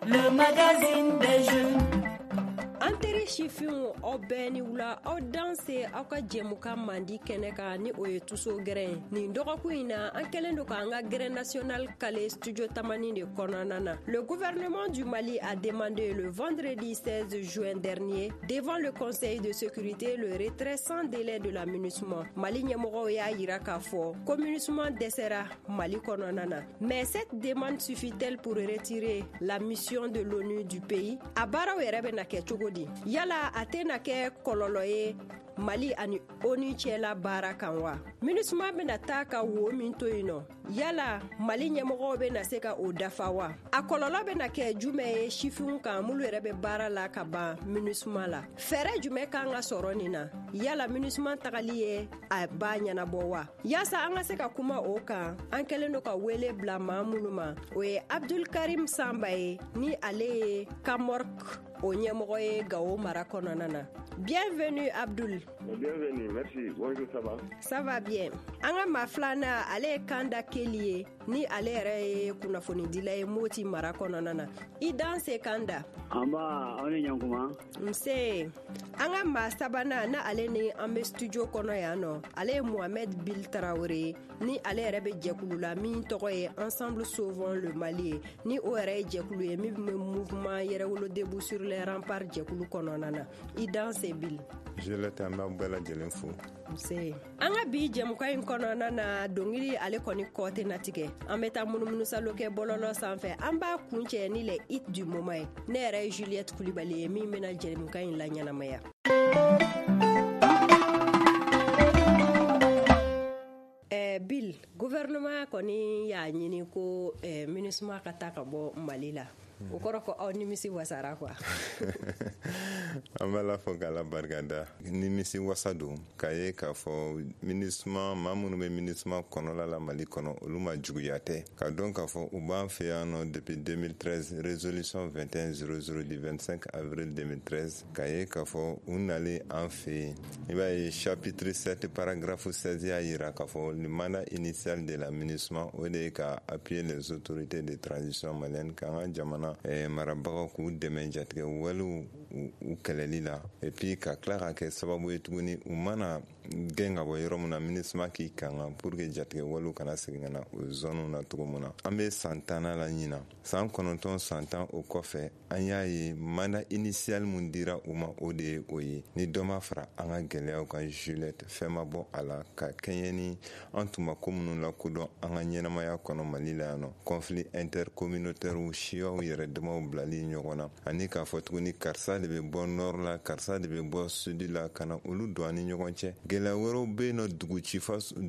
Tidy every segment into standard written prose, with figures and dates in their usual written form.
Le magazine des jeunes. An teri sifinw, aw bɛɛ ni wula, aw danse aw ka jɛmukan mandi kɛnɛ kan, ni o ye Tuso Gɛrɛn. Nin dɔgɔkun in na, an kɛlen don k'an ka gɛrɛn national kale studio Tamani de kɔnɔna na. Le gouvernement du Mali a demandé le vendredi 16 juin dernier devant le Conseil de sécurité le retrait sans délai de la MINUSMA. Mali ɲɛmɔgɔw y'a yira k'a fɔ ko MINUSMA dɛsɛra Mali kɔnɔna na. Mais cette demande suffit-elle pour retirer la mission de l'ONU du pays? A baaraw yɛrɛ bɛna kɛ cogo di? Yala a tɛna kɛ kɔlɔlɔ ye Mali ani ONU cɛla baara kan wa? MINUSMA bɛna taa ka wo min to yen nɔ, yala Mali ɲɛmɔgɔw bɛna se ka o dafa wa? A kɔlɔlɔ bɛna kɛ jumɛn ye sifinw kan, minnu yɛrɛ bɛ baara la ka ban MINUSMA la? Fɛɛrɛ jumɛn kan ka sɔrɔ nin na? Yala MINUSMA tagali ye a b'a ɲɛnabɔ wa? Yaasa an ka se ka kuma o kan, an kɛlen don ka wele bila maa minnu ma, o ye Abdul Karim Samba ye, ni ale ye Kamork o ɲɛmɔgɔ ye Gawo mara kɔnɔna na. Bienvenue Abdul. Bienvenue, merci. Bonjour, ça va? Ça va bien. An ka maa filanan, ale ye Kanda Keli ye, ni ale yɛrɛ ye kunnafonidila ye Moti mara kɔnɔna na. I danse Kanda. Anba, aw ni ɲankuma. Nse. An ka maa sabanan, na ale ni an bɛ studio kɔnɔ yan nɔ, ale ye Mohamed Bil Traoré ye, ni ale yɛrɛ bɛ jɛkulu la min tɔgɔ ye Ensemble Sauvons le Mali ye, ni o yɛrɛ ye jɛkulu ye min bɛ mouvement Yɛrɛwolo Debout sur les remparts jɛkulu kɔnɔna na. I danse Bil. Juliette, an b'aw bɛɛ lajɛlen fo. Nse. An ka bi jɛmukan in kɔnɔna na, dongili ale kɔni kɔ tɛna tigɛ. An bɛ taa munumunusalo kɛ bɔlɔlɔ sanfɛ. An b'a kuncɛ ni le hit du moment ye. Ne yɛrɛ ye Juliette Kulibali ye min bɛna jɛmukan in laɲɛnamaya. Bill, gouvernement kɔni y'a ɲini ko MINUSMA ka taa ka bɔ Mali la. O kɔrɔ ko aw nimisi wasara quoi. An b'a la fɔ k'Ala barika da. Nimisi wasa don k'a ye k'a fɔ MINUSMA, maa minnu bɛ MINUSMA kɔnɔla la Mali kɔnɔ, olu ma juguya tɛ. Ka dɔn k'a fɔ u b'an fɛ yan nɔ depuis 2013, résolution 2100 du 25 avril 2013, k'a ye k'a fɔ u nalen an fɛ yen. I b'a ye chapitre 7 paragraphe 16 y'a yira k'a fɔ le mandat initial de la MINUSMA, o de ye ka appuyer les autorités de transition malienne, k'an ka jamana marabagaw k'u dɛmɛ jatigɛ walew u kɛlɛli la, et puis ka tila ka kɛ sababu ye tuguni u mana gɛn ka bɔ yɔrɔ min na, MINUSMA k'i kanga pour que jatigɛ walew kana segin ka na o zone na cogo min na. An bɛ san 10nan la ɲinan, san 9, san 10 o kɔfɛ, an y'a ye mandat initial mun dira u ma, o de ye o ye. Ni dɔ ma fara an ka gɛlɛyaw kan Juliette, fɛn ma bɔ a la ka kɛɲɛ ni an tun ma ko minnu lakodɔn an ka ɲɛnamaya kɔnɔ Mali la yan nɔ, conflit intercommunautaire, siyaw yɛrɛ damaw bilali ɲɔgɔn na, ani k'a fɔ tuguni karisa de bɛ bɔ nord la, karisa de bɛ bɔ sud la, ka na olu don an ni ɲɔgɔn cɛ. Gɛlɛya wɛrɛw bɛ yen nɔ,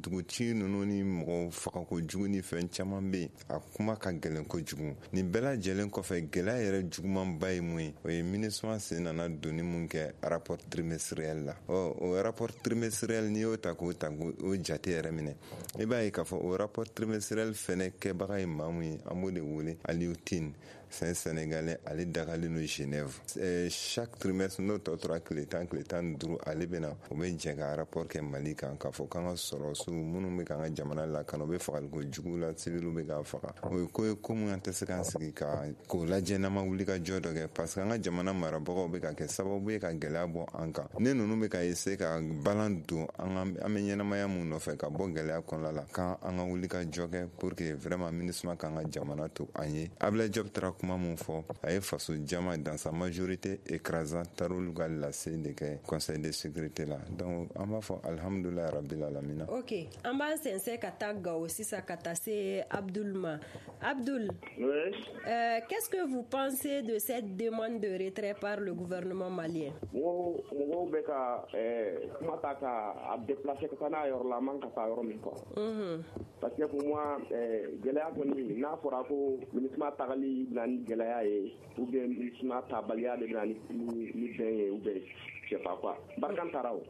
duguci ninnu ni mɔgɔw fagako jugu ni fɛn caman bɛ yen. A kuma ka gɛlɛn kojugu. Nin bɛɛ lajɛlen kɔfɛ, gɛlɛya yɛrɛ jugumanba ye mun ye? O ye MINUSMA sen nana donni mun kɛ rapport trimestriel la. Ɔ, o rapport trimestriel, n'i y'o ta k'o ta k'o jate yɛrɛ minɛ, i b'a ye k'a fɔ o rapport trimestriel fɛnɛ kɛbaga ye maa mun ye, an b'o de wele Aliou Tine. C'est un Sénégalais, ale dagalen don Genève. Chaque trimestre, n'o tɔ tora tile 10, tile 15, ale bɛ na, o bɛ jɛ ka rapport kɛ Mali kan, k'a fɔ k'an ka sɔrɔsiw minnu bɛ k'an ka jamana lakana, u bɛ fagaliko jugu la, civiliw bɛ k'a faga. O ye ko ye ko mun an tɛ se k'an sigi ka k'o lajɛ n'an ma wuli ka jɔ dɔ kɛ, parce que an ka jamana marabagaw bɛ ka kɛ sababu ye ka gɛlɛya bɔ an kan. Ne ninnu bɛ ka essayer ka balan don an ka, an bɛ ɲɛnamaya mun nɔfɛ ka bɔ gɛlɛya kɔnɔna la, k'an an ka wuli ka jɔ kɛ pour que vraiment MINUSMA k'an ka jamana to an ye. Ablaye Diop taara kuma mun fɔ, a ye faso jama dans sa majorité écrasante taar'olu ka lase de kɛ Conseil de sécurité la. Donc an b'a fɔ alhamdulilayi rabbil alamina. Ok, an b'an sɛnsɛn ka taa Gawo sisan ka taa se Abdul ma. Abdul, Oui. Qu'est-ce que vous pensez de cette demande de retrait par le gouvernement malien? Mɔgɔw bɛ ka kuma ta ka a déplacer ka taa n'a yɔrɔ la, a man ka taa yɔrɔ min quoi. Parce que pour moi, gɛlɛya kɔni, n'a fɔra ko MINUSMA tagali bɛna ni gɛlɛya ye ou bien MINUSMA tabaliya de bɛna ni bɛn ye ou bien je sais pas quoi. Barkhane taara o.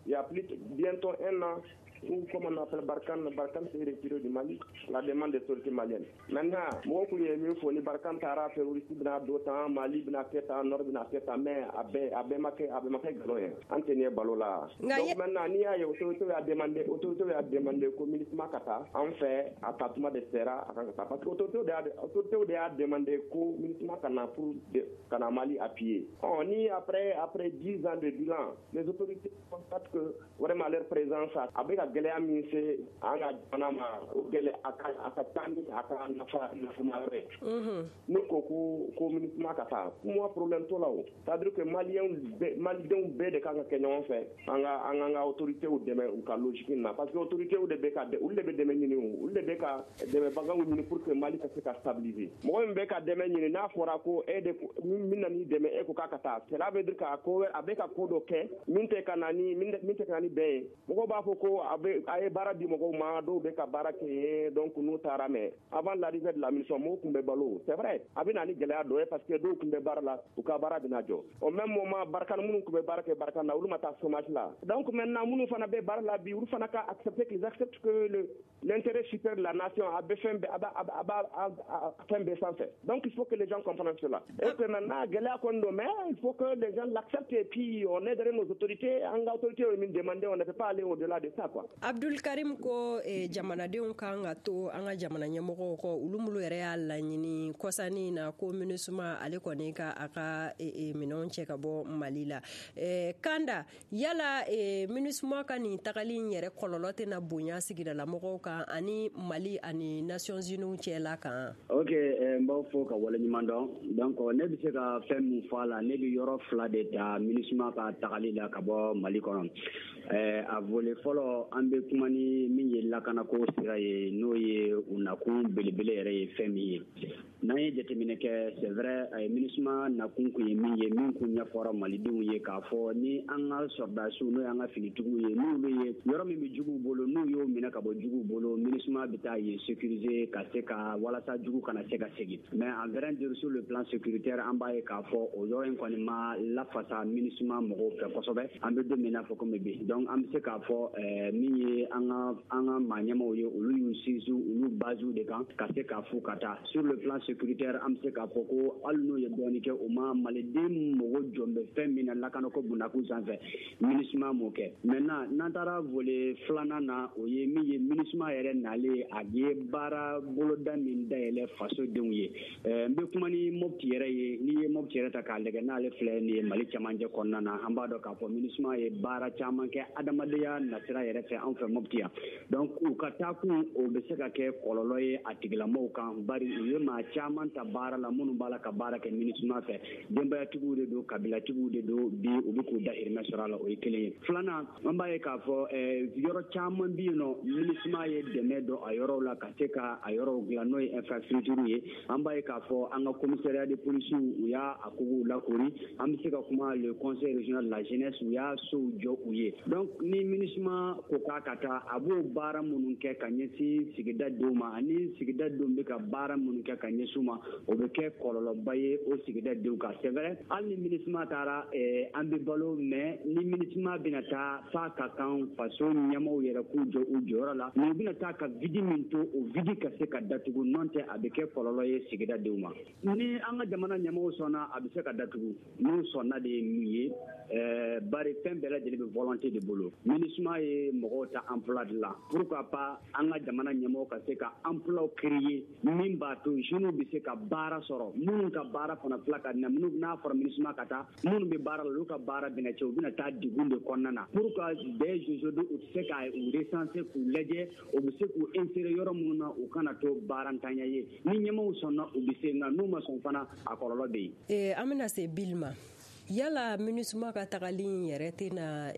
Il y a plus bientôt un an, Ou comme on appelle Barkhane, Barkhane s'est retiré du Mali, la demande des autorités maliennes. Maintenant, mɔgɔw kun ye min fɔ, ni Barkhane taara, terroriste bɛna dɔ tan, Mali bɛna kɛ tan, Nord bɛna kɛ tan, mais a bɛɛ ma kɛ nkalon ye. An tɛ nin ye balo la. Donc maintenant, n'i y'a ye autorité y'a demandé ko MINUSMA ka taa, an fɛ a taa tuma de sera, a kan ka taa, parce que autorité de y'a demandé ko MINUSMA ka na pour ka na Mali appuyer. Ɔ ni après 10 ans de bilan, les autorités constatent que vraiment leur présence a bɛ ka gɛlɛya min se an ka jamana ma, o gɛlɛya a ka taa ni a ka nafa nafama yɔrɔ ye. Ne ko MINUSMA ka taa, pour moi, problème t'o la o. C'est à dire que Maliyɛnw bɛɛ, Malidenw bɛɛ de kan ka kɛ ɲɔgɔn fɛ, an ka autorités dɛmɛ u ka logique na, parce que autorités de bɛ ka, olu de bɛ dɛmɛ ɲini o, olu de bɛ ka dɛmɛbagaw ɲini pour que Mali ka se ka stabiliser. Mɔgɔ min bɛ ka dɛmɛ ɲini, n'a fɔra ko e de min na n'i dɛmɛ, e ko k'a ka taa, cela veut dire que a ko a bɛ ka ko dɔ kɛ min tɛ ka na ni bɛn ye. Mɔgɔw b'a fɔ ko a bɛ a ye baara di mɔgɔw ma, dɔw bɛ ka baara kɛ yen, donc n'u taara. Mais avant l'arrivée de la mission, mɔgɔw tun bɛ balo. C'est vrai, a bɛ na ni gɛlɛya dɔ ye, parce que dɔw tun bɛ baara la, u ka baara bɛna jɔ. Au même moment, Barkhane minnu tun bɛ baara kɛ Barkhane na, olu ma taa chômage la. Donc maintenant, minnu fana bɛ baara la bi, olu fana ka accepter, qu'ils acceptent que le l'intérêt supérieur de la nation a bɛ fɛn bɛɛ, a b'a fɛn bɛɛ sanfɛ. Donc il faut que les gens comprennent cela et que maintenant, gɛlɛya kɔni don, mais il faut que les gens l'acceptent et puis on est derrière nos autorités. An ka autorités ye min demander, on ne peut pas aller au-delà de ça, quoi. Abdul Karim ko jamanadenw kan ka to an ka jamana ɲɛmɔgɔw kɔ, olu minnu yɛrɛ y'a laɲini kɔsani na ko MINUSMA ale kɔni ka a ka minɛnw cɛ ka bɔ Mali la. Kanda, yala MINUSMA ka nin tagali in yɛrɛ kɔlɔlɔ tɛna bonya sigidalamɔgɔw kan ani Mali ani Nations Unies cɛla kan? Ok, n b'aw fo ka waleɲuman dɔn. Donc ne bɛ se ka fɛn min fɔ a la, ne bɛ yɔrɔ fila de ta MINUSMA ka tagali la ka bɔ Mali kɔnɔ. A volet fɔlɔ, an bɛ kuma ni min ye lakanako sira ye, n'o ye u nakun belebele yɛrɛ ye fɛn min ye. N'an ye jateminɛ kɛ, c'est vrai, MINUSMA nakun kun ye min ye, min kun ɲɛfɔra malidenw ye k'a fɔ ni an ka sɔrɔdasiw, n'o y'an ka finitigiw ye, n'olu ye yɔrɔ min bɛ juguw bolo, n'u y'o minɛ ka bɔ juguw bolo, MINUSMA bɛ taa yen sécuriser ka se ka walasa jugu kana se ka segin. Mais en vrai dire, sur le plan sécuritaire, an b'a ye k'a fɔ o yɔrɔ in kɔni ma lafasa MINUSMA mɔgɔw fɛ kosɛbɛ, an bɛ don min na fɔ komi bi. Donc an bɛ se k'a fɔ min ye an ka maa ɲɛmaw ye, olu y'u sinsin olu basew de kan ka se k'a fɔ ka taa. Sur le plan sécuritaire, an bɛ se k'a fɔ ko hali n'u ye dɔɔni kɛ, o ma maliden mɔgɔ jɔn bɛ fɛn min na lakanako bundakun sanfɛ, MINUSMA m'o kɛ. Maintenant, n'an taara volet filanan na, o ye min ye MINUSMA yɛrɛ nalen, a ye baara boloda min dayɛlɛ fasodenw ye. N bɛ kuma ni Mopti yɛrɛ ye. N'i ye Mopti yɛrɛ ta k'a lajɛ, n'ale filɛ nin ye Mali cɛmancɛ kɔnɔna na, an b'a dɔn k'a fɔ MINUSMA ye baara caman kɛ adamadenya nasira yɛrɛ fɛ an fɛ Mopti yan. Donc u ka taakun, o bɛ se ka kɛ kɔlɔlɔ ye a tigilamɔgɔw kan, bari u ye maa caman ta baara la minnu b'a la ka baara kɛ MINUSMA fɛ, denbayatigiw de don, kabilatigiw de don, bi u bɛ k'u dahirimɛ sɔrɔ a la. O ye kelen ye. Filanan, an b'a ye k'a fɔ yɔrɔ caman bɛ yen nɔ, MINUSMA ye dɛmɛ don a yɔrɔw la ka se ka a yɔrɔw dilan, n'o ye infrastructure ye. An b'a ye k'a fɔ an ka commissariat de police, u y'a a kogow lakori. An bɛ se ka kuma le Conseil régional de la jeunesse, u y'a sow jɔ u ye. Donc ni MINUSMA ko k'a ka taa, a b'o baara minnu kɛ ka ɲɛsin sigida denw ma, ani sigida denw bɛ ka baara minnu kɛ ka ɲɛsin u ma, o bɛ kɛ kɔlɔlɔba ye o sigida denw kan. C'est vrai, hali ni MINUSMA taara, an bɛ balo, mais ni MINUSMA bɛna taa, f'a ka kan faso ɲɛmaaw yɛrɛ k'u jɔ u jɔyɔrɔ la, mais u bɛna taa ka vide min to, o vide ka se ka datugu, n'o tɛ a bɛ kɛ kɔlɔlɔ ye sigida denw ma. Ni an ka jamana ɲɛmaaw sɔnna, a bɛ se ka datugu. N'u sɔnna de ye min ye, bari fɛn bɛɛ lajɛlen bɛ volonté de bolo. MINUSMA ye mɔgɔw ta emploi de la, pourquoi pas an ka jamana ɲɛmaaw ka se ka emploi créer min b'a to jeunes bɛ se ka baara sɔrɔ, minnu ka baara fana tila ka na minnu. N'a fɔra MINUSMA ka taa, minnu bɛ baara la, olu ka baara bɛna cɛ, u bɛna taa degun de kɔnɔna na. Pour que dès aujourd'hui u tɛ se ka u recenser k'u lajɛ, u bɛ se k'u insérer yɔrɔ minnu na, u kana to baarantanya ye. Ni ɲɛmaaw sɔnna, u bɛ se, nka n'u ma sɔn fana, a kɔlɔlɔ bɛ yen. An bɛna se Bil ma. Yala MINUSMA ka tagali in yɛrɛ tɛna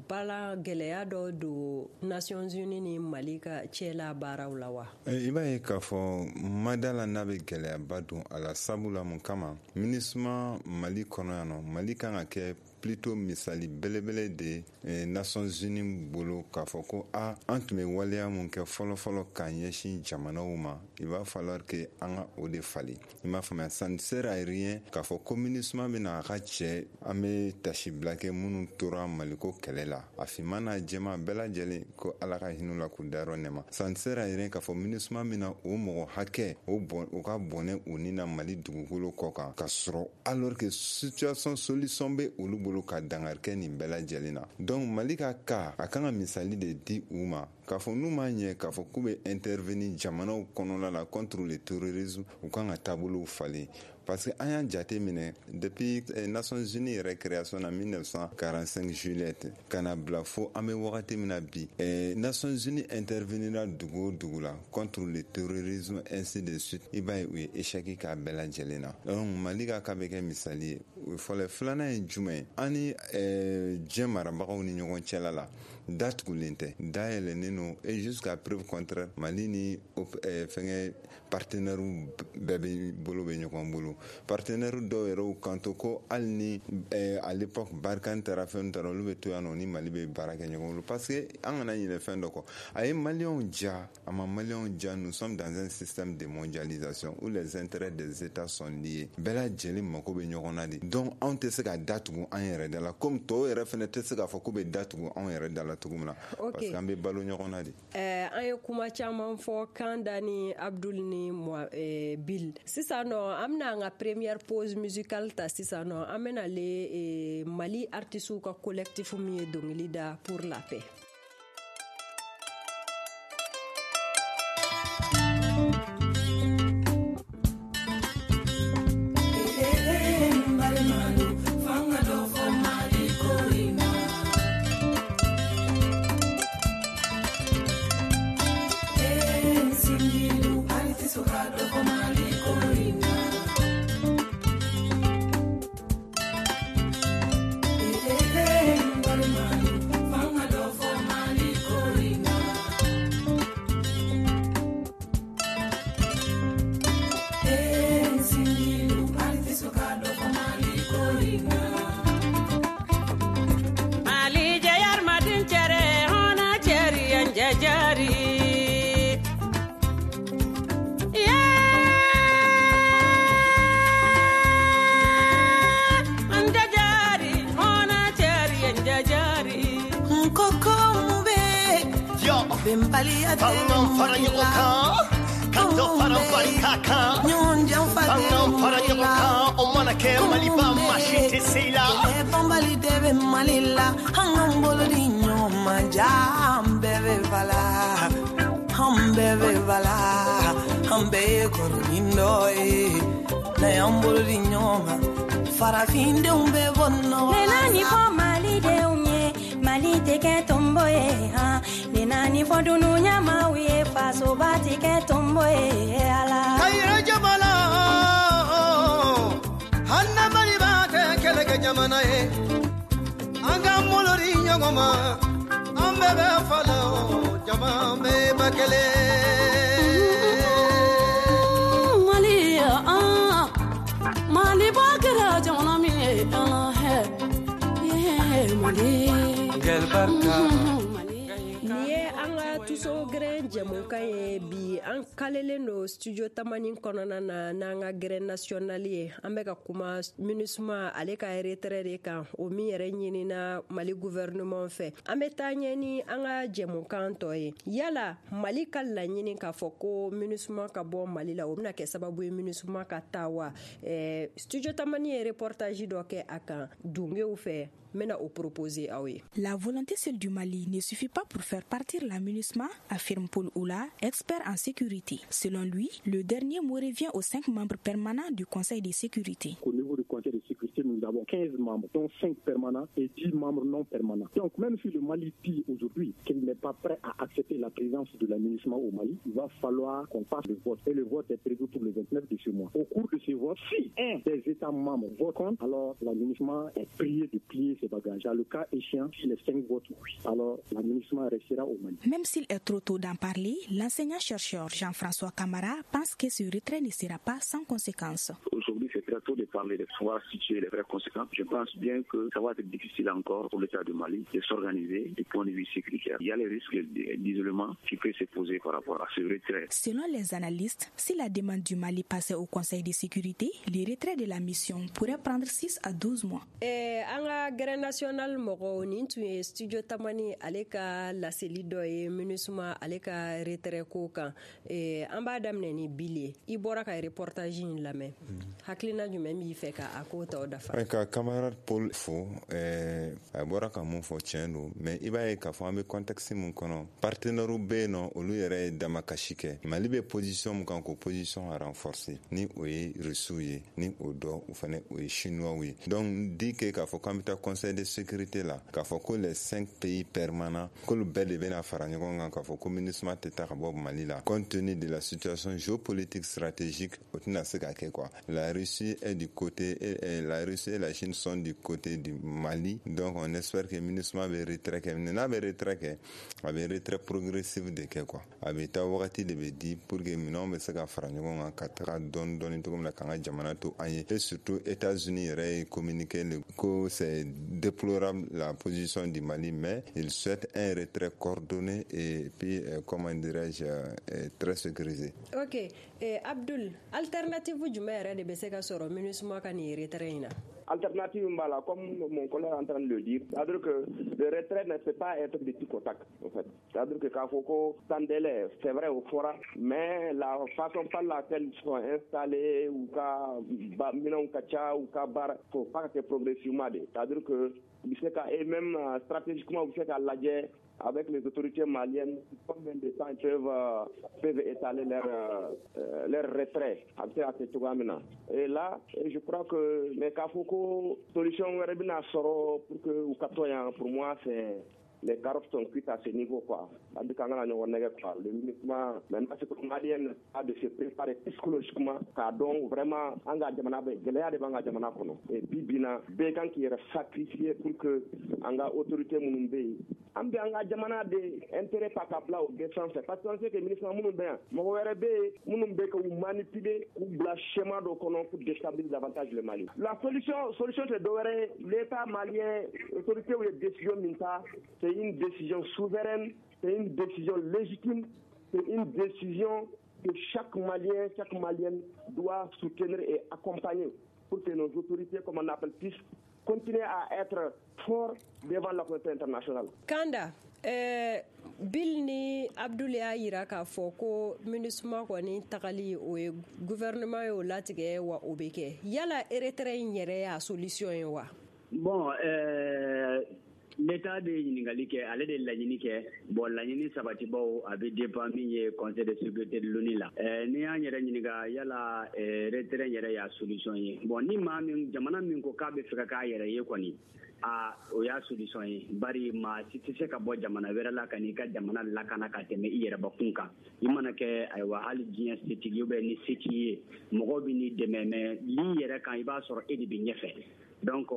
bala gɛlɛya dɔ don Nations Unies ni Mali ka cɛla baaraw la wa? I b'a ye k'a fɔ mada la, n'a bɛ gɛlɛyaba don a la, sabu la mun kama MINUSMA Mali kɔnɔ yan nɔ, Mali kan ka kɛ. plutôt misali belebele de ye Nations Unies bolo, k'a fɔ ko a an tun bɛ waleya mun kɛ fɔlɔ-fɔlɔ k'a ɲɛsin jamanaw ma, il va falloir que an ka o de falen. I m'a faamuya, ça ne sert à rien k'a fɔ ko MINUSMA bɛna a ka cɛ, an bɛ tasibila kɛ minnu tora Maliko kɛlɛ la, a finman n'a jɛman bɛɛ lajɛlen, ko Ala ka hinɛ la k'u dayɔrɔ nɛma. Ça ne sert à rien k'a fɔ MINUSMA bɛna o mɔgɔ hakɛ o bɔn o ka bɔnɛ u ni na Mali dugukolo kɔ kan, ka sɔrɔ alors que situation solution bɛ olu bolo ka dankari kɛ nin bɛɛ lajɛlen na. Donc Mali ka cas, a kan ka misali de di u ma k'a fɔ n'u m'a ɲɛ k'a fɔ k'u bɛ intervenir jamanaw kɔnɔna la contre le terrorisme, u kan ka taabolow falen. Parce que an y'a jate minɛ depuis Nations Unies yɛrɛ création na 1945 juillet ka na bila fo an bɛ wagati min na bi, Nations Unies intervenira dugu o dugu la contre le terrorisme, ainsi de suite, i b'a ye u ye échec k'a bɛɛ lajɛlen na. Donc Mali ka cas bɛ kɛ misali ye. O fɔlɔ. Filanan ye jumɛn ye? An ni diɲɛ marabagaw ni ɲɔgɔn cɛla la, datugulen tɛ, dayɛlɛnnen don, et jusqu'à preuve contraire, Mali ni fɛngɛ partenaires bɛɛ bɛ bolo bɛ ɲɔgɔn bolo. Partenaire dɔw yɛrɛ kanto ko hali ni à l'époque Barkhane taara, fɛn taara, olu bɛ to yan nɔ ni Mali bɛ baara kɛ ɲɔgɔn bolo. Parce que an kana ɲinɛ fɛn dɔ kɔ, a ye Maliyɛnw ja, a ma Maliyɛnw ja, nous sommes dans un système de mondialisation où les intérêts des États sont liés. Bɛɛ lajɛlen mako bɛ ɲɔgɔn na de. Donc anw tɛ se ka datugu an yɛrɛ da la, comme tɔw yɛrɛ fɛnɛ tɛ se k'a fɔ k'u bɛ datugu anw yɛrɛ da la cogo min na, parce que an bɛ balo ɲɔgɔn na de. An ye kuma caman fɔ, Kanda ni Abdul ni Bill. Sisan nɔ, an bɛna an ka première pause musicale ta. Sisan nɔ, an bɛna le Mali artistes ka collectif min ye dɔnkili da pour la paix. Farafindenw bɛ bɔ nɔgɔ la. Ne naani fɔ Malidenw ye, Mali tɛ kɛ tonbo ye han. Ne naani fɔ dunuɲamaw ye, fasoba tɛ kɛ tonbo ye ala. Kayira jamana, hali na Maliba tɛ kɛlɛkɛ jamana ye. An k'an bolo di ɲɔgɔn ma, an bɛɛ bɛ fa la, jama bɛɛ ba kelen. Mali Mali ba kɛra jamana min ye, ala hɛ, Mali. Nin ye an ka tuso gɛrɛn jɛmukan ye bi. An kalelen don studio Tamani kɔnɔna na n'an ka gɛrɛn national ye. An bɛ ka kuma MINUSMA ale ka retrait de kan, o min yɛrɛ ɲinina Mali gouvernement fɛ. An bɛ taa ɲɛ ni an ka jɛmukan tɔ ye. Yala Mali ka laɲini k'a fɔ ko MINUSMA ka bɔ Mali la, o bɛna kɛ sababu ye MINUSMA ka taa wa? Studio Tamani ye reportage dɔ kɛ a kan Dungew fɛ. Proposer. La volonté seule du Mali ne suffit pas pour faire partir la MINUSMA, affirme Paul Oula, expert en sécurité. Selon lui, le dernier mot revient aux 5 membres permanents du Conseil de sécurité. Au niveau du Conseil de sécurité, nous avons 15 membres, dont 5 permanents et 10 membres non permanents. Donc même si le Mali dit aujourd'hui qu'il n'est pas prêt à accepter la présence de la MINUSMA au Mali, il va falloir qu'on fasse le vote. Et le vote est prévu pour le 29 de ce mois. Au cours de ce vote, si un des États membres vote contre, alors la MINUSMA est priée de plier ses bagages. Le cas échéant, si les 5 votent oui, alors la MINUSMA restera au Mali. Même s'il est trop tôt d'en parler, l'enseignant-chercheur Jean-François Camara pense que ce retrait ne sera pas sans conséquences. Aujourd'hui, c'est très tôt de parler, de pouvoir situer les vraies conséquences. Je pense bien que ça va être difficile encore pour l'État du Mali de s'organiser du point de vue sécuritaire. Il y a les risques d'isolement qui peuvent se poser par rapport à ce retrait. Selon les analystes, si la demande du Mali passait au Conseil de sécurité, le retrait de la mission pourrait prendre 6 à 12 mois. An ka gɛrɛn national mɔgɔw, nin tun ye Studio Tamani ale ka laseli dɔ ye MINUSMA ale ka retrait ko kan. An b'a daminɛ ni Bili ye. I bɔra ka reportage in lamɛn, hakilina jumɛn b'i fɛ ka a ko tɔw dafa? Ka camarade Paul fo. A bɔra ka mun fɔ, tiɲɛ don, mais i b'a ye k'a fɔ an bɛ contexte mun kɔnɔ, partenaires bɛ yen nɔ, olu yɛrɛ ye damakasi kɛ. Mali bɛ position mun kan, k'o position renforcer, ni o ye Russiw ye, ni o dɔ o fana o ye Chinois ye. Donc dit que k'a fɔ k'an bɛ taa Conseil de sécurité la, k'a fɔ ko les 5 pays permanents, k'olu bɛɛ de bɛna fara ɲɔgɔn kan k'a fɔ ko MINUSMA tɛ taa ka bɔ Mali la, compte tenu de la situation géopolitique stratégique, o tɛna se ka kɛ quoi. La Russie est du côté et la Russie et la Chine sont du côté du Mali. Donc on espère que MINUSMA bɛ retrait kɛ. N'a bɛ retrait kɛ, a bɛ retrait progressif de kɛ quoi. A bɛ taa, wagati de bɛ di pour que minɛnw bɛ se ka fara ɲɔgɔn kan ka taga dɔɔni dɔɔni cogo min na, k'an ka jamana to an ye. Et surtout, États-Unis yɛrɛ ye communiqué ko c'est déplorable, la position du Mali, mais il souhaite un retrait coordonné et puis comment dirais-je, très sécurisé. Ok, Abdul, alternative jumɛn yɛrɛ de bɛ se ka sɔrɔ MINUSMA ka nin retrait in na? Alternative b'a, comme mon collègue est en train de le dire, c'est-à-dire que le retrait ne peut pas être de tic au tac, en fait. C'est-à-dire que k'a fɔ ko sans délai, c'est vrai o fɔra, mais la façon par laquelle ils sont installés, u ka minɛnw ka ca, u ka baara, faut pas que progressivement de. C'est-à-dire que u bɛ se ka, et même stratégiquement, u bɛ se ka lajɛ avec les autorités maliennes combien de temps ils peuvent étaler leur retrait, a bɛ se ka kɛ cogoya min na. Et là, je crois que, mais k'a fɔ ko solution wɛrɛ bɛna sɔrɔ pour que u ka to yan, pour moi, c'est les carottes sont cuites à ce niveau, quoi. C'est-à-dire qu'an kana ɲɔgɔn nɛgɛ, quoi. Le MINUSMA, maintenant, c'est que Malien a de se préparer psychologiquement k'a dɔn vraiment an ka jamana bɛ gɛlɛya de b'an ka jamana kɔnɔ. Et bi bi in na, bɛɛ kan k'i yɛrɛ sacrifier pour que an ka autorité minnu bɛ yen, an bɛ an ka jamana de intérêt ta ka bila o bɛɛ sanfɛ, parce que on sait que MINUSMA minnu bɛ yan, mɔgɔ wɛrɛ bɛ yen minnu bɛ k'u manipuler, k'u bila schéma dɔ kɔnɔ pour déstabiliser davantage le Mali. La solution tɛ dɔwɛrɛ ye, l'État malien, autorité ye décision min ta, c'est une décision souveraine, c'est une décision légitime, c'est une décision que chaque Malien, chaque Malienne doit soutenir et accompagner pour que nos autorités, comme on appelle, puissent continuer à être forts devant la communauté internationale. Kanda, Bill ni Abdul y'a yira k'a fɔ ko MINUSMA kɔni tagali, o ye gouvernement y'o latigɛ wa, o bɛ kɛ. Yala retrait in yɛrɛ y'a solution ye wa? Bon, l'État de ye ɲininkali kɛ, ale de laɲini kɛ. Bon, laɲini sabatibaw, a bɛ dépend min ye Conseil de sécurité de l'ONU la. N'i y'an yɛrɛ ɲininka yala retrait yɛrɛ y'a solution ye, bon, ni maa min, jamana min ko k'a bɛ fɛ ka k'a yɛrɛ ye kɔni, a o y'a solution ye, bari maa si tɛ se ka bɔ jamana wɛrɛ la ka n'i ka jamana lakana ka tɛmɛ i yɛrɛbakun kan. I mana kɛ, ayiwa, hali diɲɛ setigi ou bien ni se t'i ye, mɔgɔw bɛ n'i dɛmɛ, mais l'i yɛrɛ kan, i b'a sɔrɔ e de bɛ ɲɛfɛ. Donc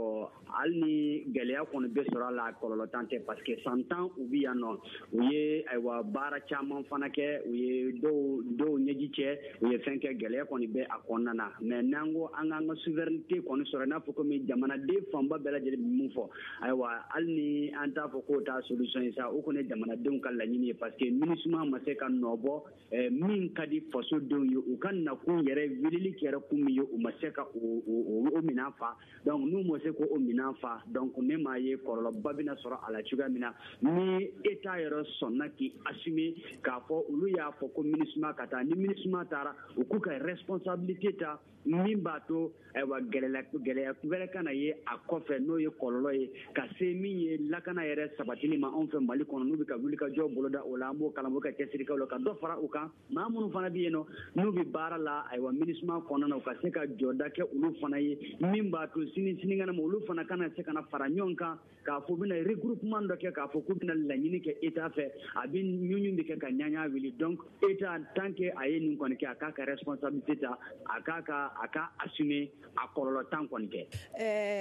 hali ni gɛlɛya kɔni bɛ sɔrɔ a la, kɔlɔlɔ tan tɛ, parce que san 10 u bi yan nɔ, u ye, ayiwa, baara caman fana kɛ, u ye dɔw ɲɛji cɛ, u ye fɛn kɛ, gɛlɛya kɔni bɛ a kɔnɔna na. Mais n'an ko an k'an ka souveraineté kɔni sɔrɔ, i n'a fɔ komi jamanaden fanba bɛɛ lajɛlen bɛ mun fɔ, ayiwa, hali ni an t'a fɔ k'o t'a solution ye sa, o kɔni ye jamanadenw ka laɲini ye, parce que MINUSMA ma se ka nɔ bɔ min ka di fasodenw ye, u ka nakun yɛrɛ, weleli kɛra kun min ye, u ma se ka o minɛn fa. Donc n'u ma se k'o minɛn fa, donc ne m'a ye kɔlɔlɔba bɛna sɔrɔ a la cogoya min na. Ni État yɛrɛ sɔnna k'i assumer k'a fɔ olu y'a fɔ ko MINUSMA ka taa, ni MINUSMA taara, u k'u ka responsabilité ta. min b'a to ayiwa gɛlɛya wɛrɛ kana ye a kɔfɛ, n'o ye kɔlɔlɔ ye ka se min ye lakana yɛrɛ sabatili ma anw fɛ Mali kɔnɔ. N'u bɛ ka wulikajɔ boloda o la, an b'o kalan ka cɛsiri kɛ o la, ka dɔ fara u kan. Maa minnu fana bɛ yen nɔ, n'u bɛ baara la ayiwa MINUSMA kɔnɔna na, u ka se ka jɔda kɛ olu fana ye, min b'a to sini sinikɛnɛ ma olu fana kana se ka na fara ɲɔgɔn kan k'a fɔ u bɛna regroupement dɔ kɛ, k'a fɔ k'u bɛna laɲini kɛ État fɛ, a bɛ ɲuɲu bɛ kɛ ka ɲaɲa wuli. Donc État, tant que a ye nin kɔni kɛ, a k'a ka responsabilité ta, a k'a ka a ka assumer, a kɔlɔlɔ tan kɔni kɛ.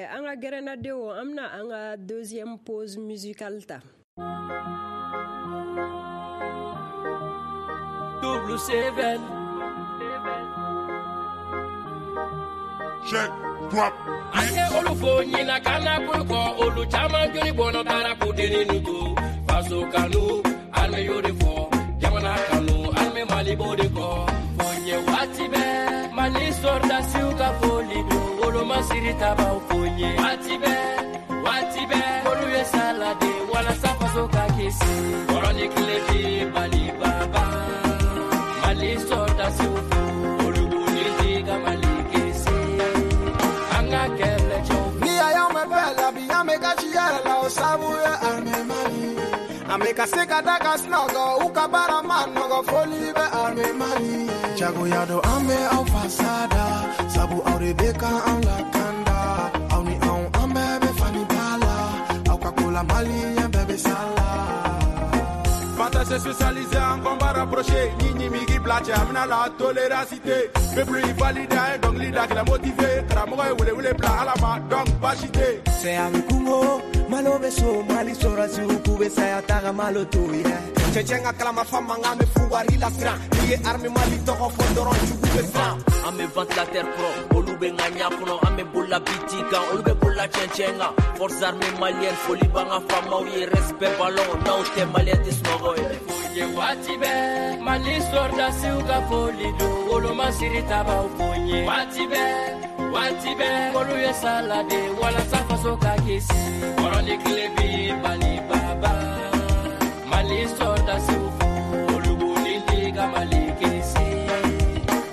An ka gɛrɛnnadenw, an bɛna an ka deuxième pause musicale ta. Double seven. Check, drop. An ye olu fo ɲina kana bolo kɔ, olu caman joli bɔnɔ taara k'u denni nu to. Faso kanu, armée y'o de fɔ. Jamana kanu, armée Mali b'o de kɔ. Fo ɲɛ waati bɛɛ, Mali sɔrɔdasiw ka foli don. Wolomasiri tabaw fo ɲɛ. Waati bɛɛ, waati bɛɛ, olu ye salade walasa faso ka kisi. Kɔrɔ ni tile bi Mali baba. Mali sɔrɔdasiw fo, olu b'u ni di ka Mali kisi. An ka kɛlɛcɛw fo. Ni a y'anw mɛn bɛɛ la bi, an bɛ kasi yɛrɛ la, o sabu ye armée Mali. An bɛ ka se ka da ka sunɔgɔ, u ka baara ma nɔgɔ, foli bɛ armée Mali. Jagoya don an bɛ aw fasa da, sabu aw de bɛ ka anw lakanda. Aw ni anw, an bɛɛ bɛ fani ba la, aw ka ko la Maliyɛn bɛɛ bɛ sa la. Fantasy spécialisé en combat rapproché, ni migi blatché, amena la toléracité. Peuple valide un donc leader qui l'a motivé. Karamɔgɔ ye wele wele bila Ala ma, donc baasi tɛ. Cɛ a bɛ kungo, malo bɛ so, Mali sɔrɔsiw k'u bɛ saya taga malo to ye. Cɛcɛ ka kalamafan mankan bɛ fugari lasiran. N'i ye armée Mali tɔgɔ fɔ dɔrɔn jugu bɛ siran. An bɛ ventilateur kɔrɔ, olu bɛ ŋaɲa kɔnɔ, an bɛ bolola biti kan, olu bɛ bolola cɛncɛn kan. Forces armées maliennes, foli b'an ka faamaw ye, respect ballon, n'aw tɛ malien tɛ sunɔgɔ ye. Ye waati bɛɛ, Mali sɔrɔdasiw ka foli don, wolomasiri tabaw fo ɲɛ. Waati bɛɛ, waati bɛɛ, olu ye salade walasa faso ka kisi. Kɔrɔ ni tile bi Mali baba. Mali sɔrɔdasiw fo, olu b'u ni di ka Mali kisi.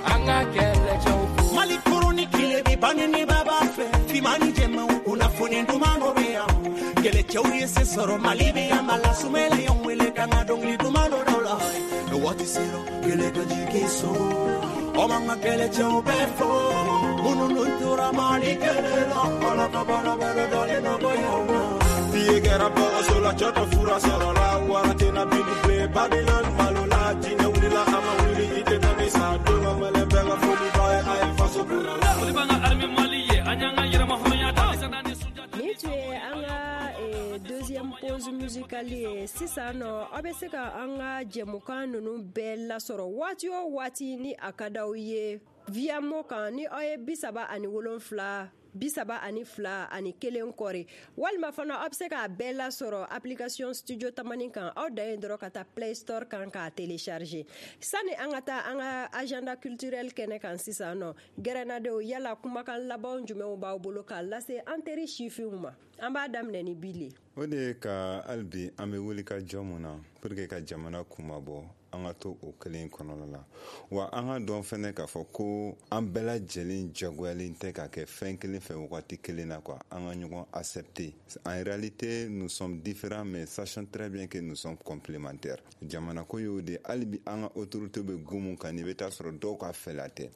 An ka kɛlɛcɛw fo. Mali kurun ni tile bi bange ni baba fɛ, finman ni jɛmanw kunnafoni duman dɔ bɛ yan. Kɛlɛcɛw ye se sɔrɔ Mali bɛ yan, Mala Sumela y'anw wele k'an ka dɔnkili duman dɔ da u la. Waati sera kɛlɛ ka jigin so, aw b'an ka kɛlɛcɛw bɛɛ fo. Minnu dun tora Mali kɛlɛ la, Ala ka baara bɛɛ dalen nɔgɔya u ma. Fiye kɛra bɔgɔso la, cɛ tɛ fura sɔrɔ la, wara tɛna bini bilen, Babylone malo la, jinɛ wulila a ma wuli, i tɛ taa ni sa, don ka mɛlɛ bɛɛ ka foli b'a ye, a ye faso bonya la. Foli b'an ka armée Mali ye, an y'an ka yɛrɛmahɔrɔnya ta. Nin tun ye an ka deuxième pause musicale ye. Sisan nɔ, aw bɛ se ka an ka jɛmukan ninnu bɛɛ lasɔrɔ waati o waati ni a ka d'aw ye via mo kan, ni aw ye 37 32 ani 1 kɔri, walima fana aw bɛ se k'a bɛɛ lasɔrɔ application Studio Tamani kan. Aw dan ye dɔrɔn ka taa Play Store kan k'a télécharger. Sani an ka taa an ka agenda culturel kɛnɛ kan sisan nɔ, gɛrɛnnadenw, yala kumakan labanw jumɛnw b'aw bolo k'a lase an teri sifinw ma? An b'a daminɛ ni Bili. O de ye ka hali bi an bɛ wuli ka jɔ mun na pour que ka jamana kunmabɔ, an ka to o kelen kɔnɔna la. Wa an ka dɔn fɛnɛ k'a fɔ ko an bɛɛ lajɛlen jagoyalen tɛ ka kɛ fɛn kelen fɛ wagati kelen na quoi. An ka ɲɔgɔn accepter. En réalité, nous sommes différents, mais sachons très bien que nous sommes complémentaires. Jamana ko y'o de, hali bi an ka autorité bɛ go mun kan, n'i bɛ taa sɔrɔ dɔw ka fɛla tɛ,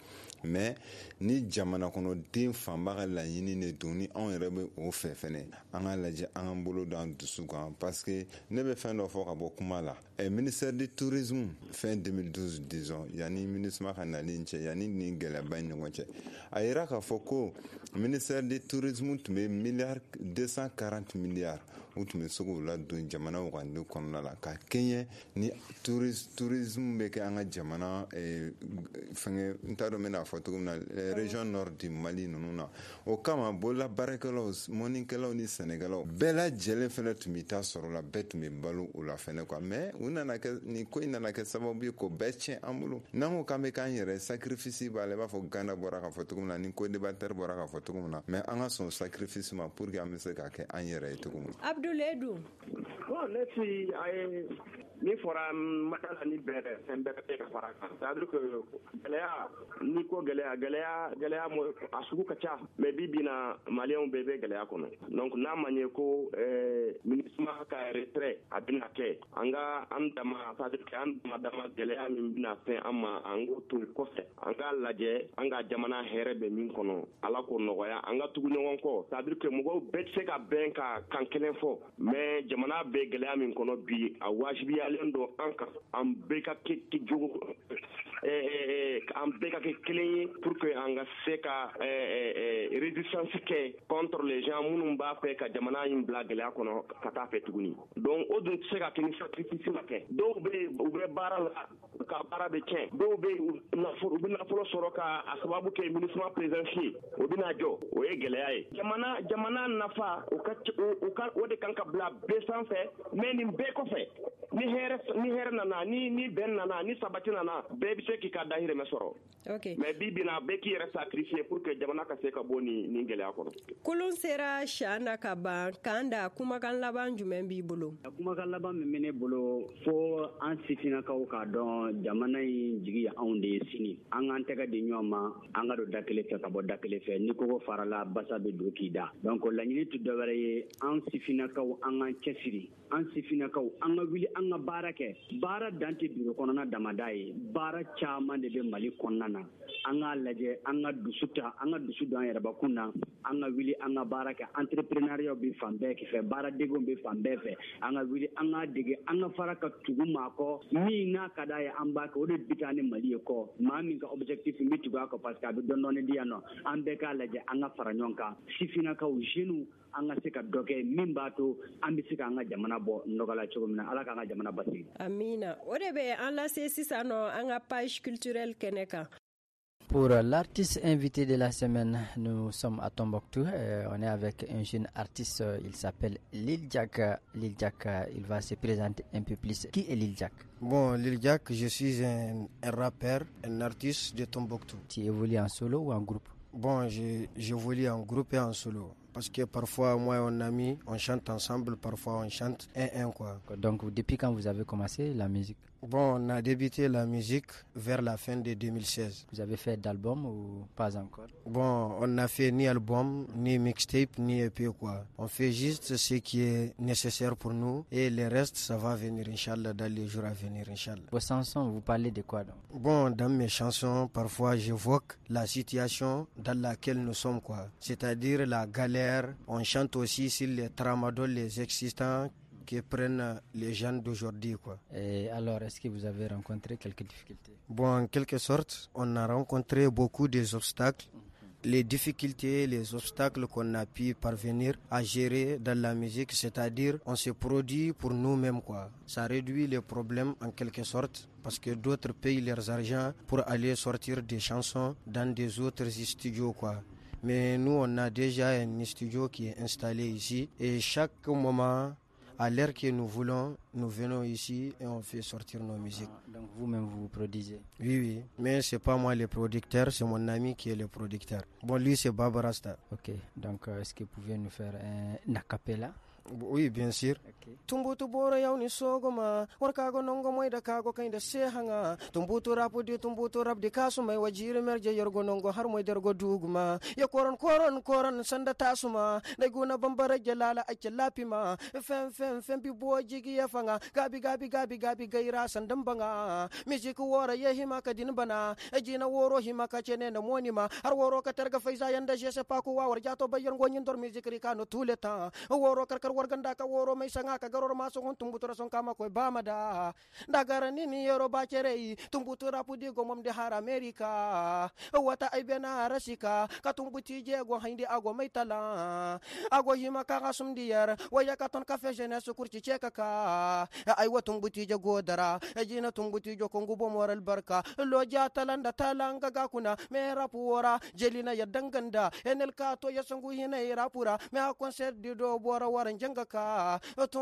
mais ni jamana kɔnɔden fanba ka laɲini de don, ni anw yɛrɛ bɛ o fɛ fɛnɛ, an ka lajɛ an k'an bolo d'an dusu kan, parce que ne bɛ fɛn dɔ fɔ ka bɔ kuma la. Ministère du tourisme fin 2012, disons, yanni MINUSMA ka nali cɛ, yanni nin gɛlɛyaba in ɲɔgɔn cɛ, a yira k'a fɔ ko ministère du tourisme tun bɛ milliard 240 milliards u tun bɛ se k'o ladon jamana wagande kɔnɔna la ka kɛɲɛ ni tourisme bɛ kɛ an ka jamana fɛngɛ, n t'a dɔn n bɛna fɔ cogo min na, région nord du Mali ninnu na. O kama bolola baarakɛlaw, mɔnikɛlaw ni sɛnɛkɛlaw bɛɛ lajɛlen fɛnɛ tun bɛ taa sɔrɔ la, bɛɛ tun bɛ balo o la fɛnɛ quoi. Mais u nana kɛ nin ko in nana kɛ sababu ye k'o bɛɛ tiɲɛ an bolo. N'an ko k'an bɛ k'an yɛrɛ sacrifice b'a la, i b'a fɔ Gana bɔra k'a fɔ cogo min na, ni co-débatteur bɔra k'a fɔ cogo min na, mais an ka sɔn sacrifice ma pour que an bɛ se k'a kɛ an yɛrɛ ye cogo min na. Abdoulaye dun. Bon, ne si a ye min fɔra ma da la ni bɛɛ fɛn bɛɛ bɛ ka fara kan. C'est à dire que gɛlɛya, n'i ko gɛlɛya, gɛlɛya a sugu ka ca, mais bi bi na maliyɛnw bɛɛ bɛ gɛlɛya kɔnɔ. Donc n'a ma ɲɛ ko MINUSMA ka retrait a bɛna kɛ, an ka an dama, c'est à dire que an dama gɛlɛya min bɛna fɛn an ma, an k'o to kɔfɛ, an k'a lajɛ an ka jamana hɛrɛ bɛ min kɔnɔ, Ala k'o nɔgɔya, an ka tugu ɲɔgɔn kɔ. C'est à dire que mɔgɔw bɛɛ tɛ se ka bɛn ka kan kelen fɔ, mais jamana bɛ gɛlɛya min kɔnɔ bi, a wajibiyalen don an kan, an bɛɛ ka kɛ jogo, an bɛɛ ka kɛ kelen ye pour que an ka se ka résistance kɛ contre les gens minnu b'a fɛ ka jamana in bila gɛlɛya kɔnɔ ka taa fɛ tuguni. Donc o dun tɛ se ka kɛ ni sacrifice ma kɛ. Dɔw bɛ yen, u bɛ baara la, u ka baara bɛ tiɲɛ. Dɔw bɛ yen, u bɛ nafolo sɔrɔ ka a sababu kɛ MINUSMA présence ye, o bɛna jɔ, o ye gɛlɛya ye. Jamana nafa, o ka o ka o de kan ka bila bɛɛ sanfɛ. Mais nin bɛɛ kɔfɛ, ni hɛrɛ nana, ni bɛn nana, ni sabati nana, bɛɛ bɛ se k'i ka dahirimɛ sɔrɔ. Mais bi bi na, bɛɛ k'i yɛrɛ sacrifier pour que jamana ka se ka bɔ nin gɛlɛya kɔnɔ. Kolon sera sian na ka ban kan da, kumakan laban jumɛn b'i bolo? Kumakan laban min bɛ ne bolo, fo an sifinnakaw k'a dɔn jamana in jigi ye anw de ye sini. An k'an tɛgɛ di ɲɔgɔn ma, an ka don da kelen fɛ ka bɔ da kelen fɛ. Ni kogo farala, basa bɛ don k'i da. Donc laɲini tɛ dɔwɛrɛ ye, an sifinnakaw, an k'an cɛsiri, an sifinnakaw, an ka wuli, an ka baara kɛ. Baara dan tɛ biro kɔnɔna damada ye, baara caman de bɛ Mali kɔnɔna na. An k'a lajɛ, an ka dusu ta, an ka dusu don an yɛrɛbakun na, an ka wuli, an ka baara kɛ. Entrepreneuriat bɛ fan bɛɛ fɛ, baaradegew bɛ fan bɛɛ fɛ. An ka wuli, an k'a dege, an ka fara ka tugu maa kɔ min n'a ka d'a ye, an b'a kɛ. O de bi taa ni Mali ye kɔ. Maa min ka objectif, n bɛ tugu a kɔ parce que a bɛ dɔɔni dɔɔni di yan nɔ. An bɛɛ k'a lajɛ, an ka fara ɲɔgɔn kan, sifinnakaw, jeunes, an ka se ka dɔ kɛ min b'a to an bɛ se k'an ka jamana bɔ nɔgɔ la cogo min na. Ala k'an ka jamana basigi. Amina. O de bɛ an lase sisan nɔ an ka page culturelle kɛnɛ kan. Pour l'artiste invité de la semaine, nous sommes à Tombouctou. On est avec un jeune artiste, il s'appelle Lil Jack. Lil Jack, il va se présenter un peu plus. Qui est Lil Jack? Bon, Lil Jack, je suis un rappeur, un artiste de Tombouctou. Tu évolues en solo ou en groupe? Bon, j'évolue en groupe et en solo. Parce que parfois, moi et mon ami, on chante ensemble, parfois on chante un-un, quoi. Donc, depuis quand vous avez commencé la musique? Bon, on a débuté la musique vers la fin de 2016. Vous avez fait d'album ou pas encore? Bon, on n'a fait ni album, ni mixtape, ni EP, quoi. On fait juste ce qui est nécessaire pour nous et le reste, ça va venir, Inch'Allah, dans les jours à venir, Inch'Allah. Vos chansons, vous parlez de quoi donc? Bon, dans mes chansons, parfois j'évoque la situation dans laquelle nous sommes, quoi. C'est-à-dire la galère. On chante aussi sur les tramadols, les existants qui prennent les jeunes d'aujourd'hui, quoi. Et alors, est-ce que vous avez rencontré quelques difficultés? Bon, en quelque sorte, on a rencontré beaucoup d'obstacles. Les difficultés, les obstacles qu'on a pu parvenir à gérer dans la musique, c'est-à-dire on se produit pour nous-mêmes, quoi. Ça réduit les problèmes en quelque sorte, parce que d'autres payent leurs argent pour aller sortir des chansons dans des autres studios, quoi. Mais nous, on a déjà un studio qui est installé ici et chaque moment, à l'heure que nous voulons, nous venons ici et on fait sortir nos musiques. Ah, donc vous-même, vous produisez? Oui, oui. Mais c'est pas moi le producteur, c'est mon ami qui est le producteur. Bon, lui, c'est Baba Rasta. Ok. Donc, est-ce que vous pouvez nous faire un acapella? Oui, bien sûr. Okay. Tumbutu bora yaw ni sogoma warkago nongo moyda kago kaynda sehanga tumbutu rapu di tumbutu rap di kasu mai wajiri merje yorgo nongo har moy dergo duguma ya koron koron koron sanda tasuma dai guna bambara jalala ake lapima fem fem fem bi bo jigi ya fanga gabi gabi gabi gabi gaira sandan banga music wora ye hima ka din bana ejina woro hima ka chene na monima har woro ka terga faiza yanda jese paku wa war jato bayar gonyin dor music rika no tuleta woro karkar warganda ka woro mai sanga ka garor maso hon tumbutura son kama koy bamada dagara nini yoro bacere tumbutura pudi go mom de har America wata ay bena rasika ka tumbuti je go hinde ago mai tala ago hima ka gasum diyar waya ka ton ka fe jeunesse kurci cheka ka ay wa tumbuti je go dara jina tumbuti jo kongu bo moral barka lo ja talanda talanga ga kuna me rapuora jelina ya danganda enel ka to ya sangu hina rapura me a concert di do bora waran janga ka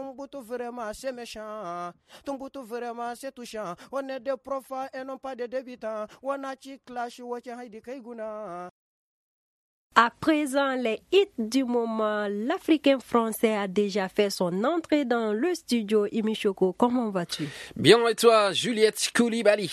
Tumbutu vraiment c'est méchant, Tumbutu vraiment c'est touchant. On est des profs et non pas des débutants. On a chi clash wache haidi kaiguna. À présent, les hits du moment, l'Africain français a déjà fait son entrée dans le studio. Imichoko, comment vas-tu? Bien, et toi, Juliette Koulibaly?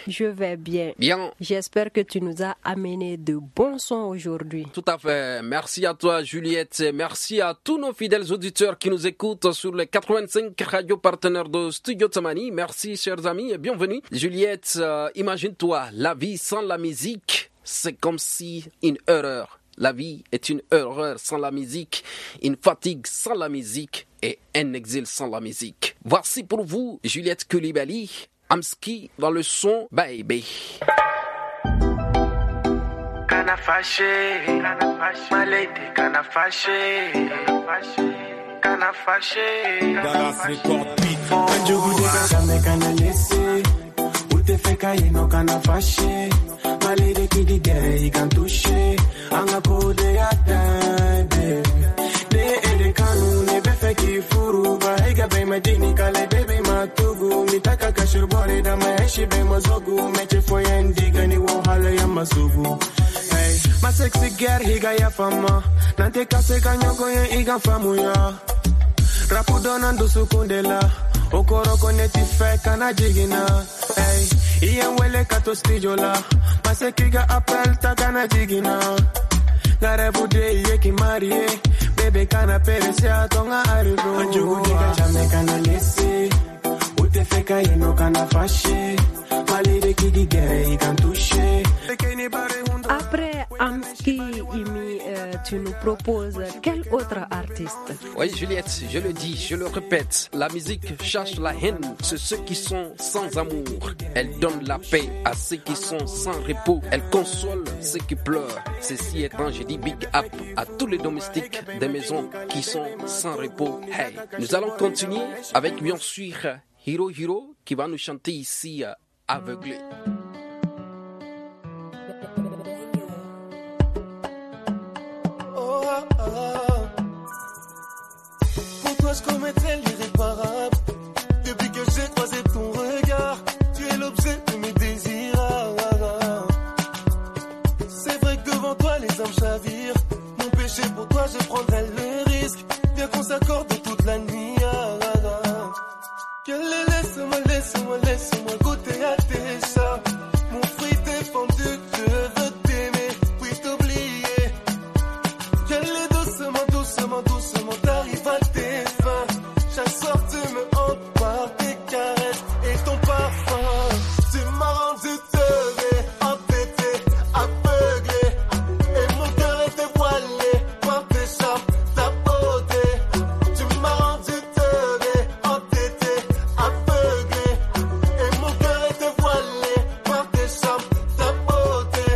Je vais bien. Bien. J'espère que tu nous as amené de bons sons aujourd'hui. Tout à fait. Merci à toi, Juliette. Merci à tous nos fidèles auditeurs qui nous écoutent sur les 85 radios partenaires de Studio Tamani. Merci, chers amis, et bienvenue. Juliette, imagine-toi, la vie sans la musique, c'est comme si une erreur. La vie est une erreur sans la musique, une fatigue sans la musique et un exil sans la musique. Voici pour vous Juliette Koulibaly, Amski dans le son Baby. Kana fâché, ma lady, kana fâché, kana fâché. Dallas Record Beat. Kana laissé, ou te fait cailler non kana fâché. Ma lady qui dit gay, il can toucher. Anga kode ya baby. Ne ele kanu ne befe ki furu ba ega be madini kale baby matugu mitaka kashurbore da maeshi be mazogu meche foyendi gani wo hala ya masugu. Hey, my sexy girl higa ya fama. Nante kase kanyoko ye iga famu ya. Rapu donan dusu kundela. Okoroko neti fe kana jigina. Hey, iye wele kato studio la. Masekiga appel ta kana jigina. Garebude ye ki marie. Bebe kana peresia tonga arrivo. Anjugu diga chame kana lese. Ute feka yeno kana fashe. Malire kigi gere ikan touche. Après Amski, Imi, tu nous proposes quel autre artiste? Oui, Juliette, je le dis, je le répète, la musique chasse la haine sur ceux qui sont sans amour. Elle donne la paix à ceux qui sont sans repos. Elle console ceux qui pleurent. Ceci étant, je dis big up à tous les domestiques des maisons qui sont sans repos. Hey, nous allons continuer avec bien sûr Hiro Hiro qui va nous chanter ici Aveuglé. Pour toi je commettrais l'irréparable. Depuis que j'ai croisé ton regard, tu es l'objet de mes désirs. C'est vrai que devant toi les hommes chavirent. Mon péché pour toi je prendrais le risque. Viens qu'on s'accorde toute la nuit. Laisse-moi, laisse-moi, laisse-moi goûter à tes chats. Mon fruit défendu, je veux t'aimer, puis t'oublier. Quelle doucement, doucement, doucement, t'arrives à tes fins. Chaque soir tu me hantes par tes caresses et ton parfum. Tu m'as rendu teubé, entêté, aveuglé. Et mon cœur était voilé par tes charmes, ta beauté. Tu m'as rendu teubé, entêté, aveuglé. Et mon cœur était voilé par tes charmes, ta beauté.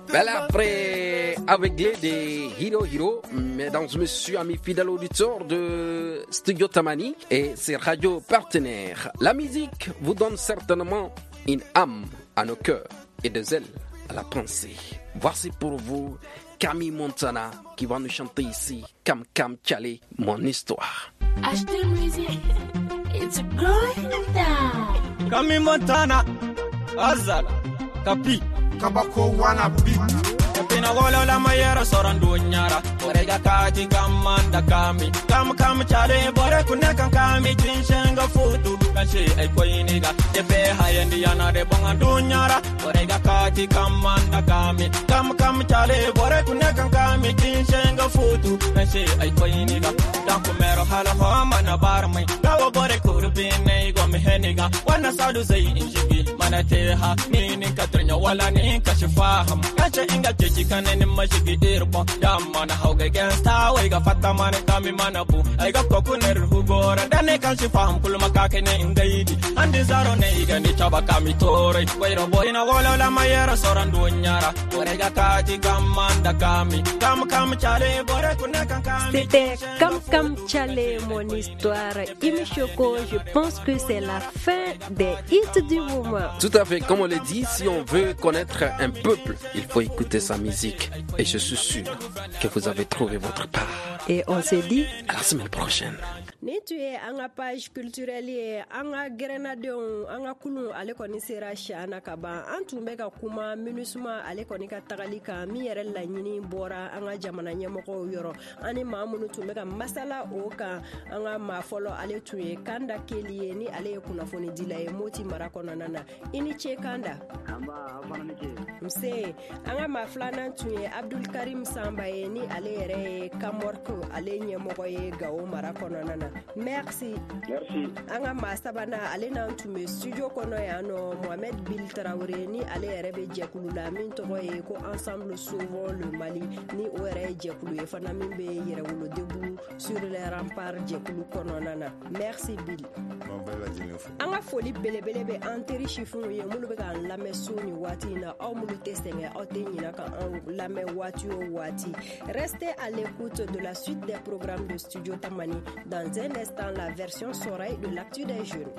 Voilà, après Aveuglé de Hiro Hiro, mesdames et messieurs, amis fidèles auditeurs de Studio Tamani et ses radios partenaires. La musique vous donne certainement une âme à nos cœurs et des ailes à la pensée. Voici pour vous Camille Montana qui va nous chanter ici Kam Kam Tchale, mon histoire. HD Music, it's going down. Camille Montana, Azala, Kapi. Kabako wana beat. Pina wala la mayera sorandu nyara. Orega kaji kamanda kami. Kam kam chale bore kunne kan kami chinshenga futu. Kashi ai koiniga. Jefe hayendi yana de bonga dunyara. Orega kaji kamanda kami. Kam kam chale bore kunne kan kami chinshenga futu. Kashi ai koiniga. Danku mero hala homa na barmai. Gawo bore kurbine go meheniga. Wana sadu zai injigi. Mana teha nini katrnya wala ni kashifaham. Kache inga chechi kaneni mashigi irbo. Damana hauge gangsta waiga fatta mane kami manabu. Aiga kokuner hugora dane kashifaham kulma kakene ingaidi. Andi zaro ne iga ni chaba kami tore. Wairo boy na wala la mayera sorandu nyara. Orega kaji kamanda kami. Kam kam chale bore kunne kan kami. C'était Kam Kam Tchale, mon histoire. Imichoko, je pense que c'est la fin des hits du moment. Tout à fait, comme on l'a dit, si on veut connaître un peuple, il faut écouter sa musique. Et je suis sûr que vous avez trouvé votre part. Et on se dit à la semaine prochaine. Nin tun ye an ka page culturelle ye. An ka gɛrɛnnadenw, an ka kulun, ale kɔni sera siyan na ka ban. An tun bɛ ka kuma MINUSMA ale kɔni ka tagali kan, min yɛrɛ laɲini bɔra an ka jamana ɲɛmɔgɔw yɔrɔ. An ni maa minnu tun bɛ ka masala o kan, an ka maa fɔlɔ, ale tun ye Kanda Keli ye, ni ale ye kunnafonidila ye Moti mara kɔnɔna na. I ni ce, Kanda. Nse. An ka maa filanan tun ye Abdul Karim Sanba ye, ni ale yɛrɛ ye Kamɔrk ale ɲɛmɔgɔ ye Gawo mara kɔnɔna na. Merci. Merci. An ka maa sabanan, ale n'an tun bɛ studio kɔnɔ yan nɔ, Mohamed Bil Tarawele, ni ale yɛrɛ bɛ jɛkulu la min tɔgɔ ye ko Ensemble Sauvons le Mali, ni o yɛrɛ ye jɛkulu ye fana min bɛ Yɛrɛwolo Debout sur les Remparts jɛkulu kɔnɔna na. Merci, Bil. An ka foli belebele bɛ an teri sifinw ye minnu bɛ k'an lamɛn so ni waati in na. Aw minnu tɛ sɛgɛn, aw tɛ ɲinɛ ka an lamɛn waati o waati. Restez à l'écoute de la suite des programmes de Studio Tamani. Dans un instant, la version sonore de l'actu des jeunes.